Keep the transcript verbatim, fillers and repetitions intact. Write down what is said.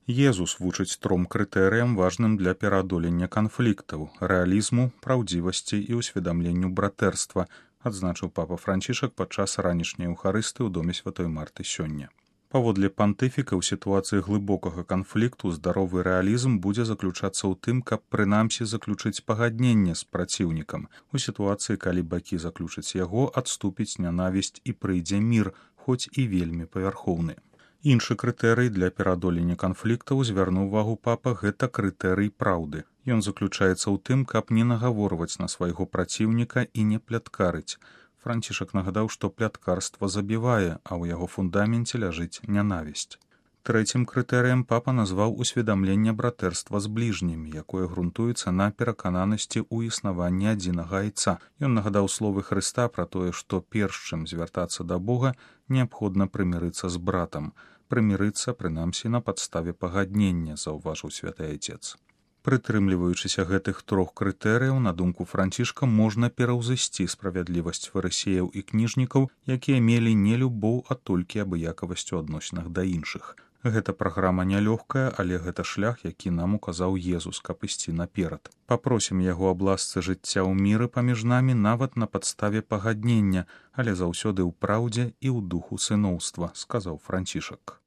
Езус вучыць тром крытэрыям, важным для пераадолення канфліктаў, рэалізму, праўдзівасці і ўсведамленню братэрства, адзначыў папа Францішак падчас ранішняй эўхарысты ў доме святой Марты сёння. Паводле пантыфіка, ў сітуацыі глыбокага канфлікту здаровы рэалізм будзе заключацца ў тым, каб прынамсі заключыць пагадненне з праціўнікам. У сітуацыі, калі бакі заключаць яго, адступіць нянавісць і прыйдзе мір, хоць і вельмі павярхоўны. Іншы крытэрый для пераадолення канфліктаў, звярнуў увагу папа, гэта крытэрый праўды. Ён заключаецца ў тым, каб не нагаворваць на свайго праціўніка і не пляткарыць. Францішак нагадаў, што пляткарства забівае, а ў яго фундаменце ляжыць нянавісць. Трэцім крытэрыем папа назваў усведамленне братэрства з бліжнімі, якое грунтуецца на перакананасці ў існаванні адзінага айца. Ён нагадаў словы Хрыста пра тое, што перш чым звяртацца да Бога, неабходна прымірыцца з братам. Прымірыцца, прынамсі, на падставе пагаднення, заўважыў святы айцец. Прытрымліваючыся гэтых трох крытэрыяў, на думку Францішка, можна пераўзысці справядлівасць фарысеяў і кніжнікаў, якія мелі не любоў, а толькі абыякавасць у адносінах да іншых. Гэта праграма нялёгкая, але гэта шлях, які нам указаў Езус, каб ісці наперад. Папросім яго аб ласцы жыцця ў міры паміж намі нават на падставе пагаднення, але заўсёды ў праўдзе і ў духу сыноўства, сказаў Францішак.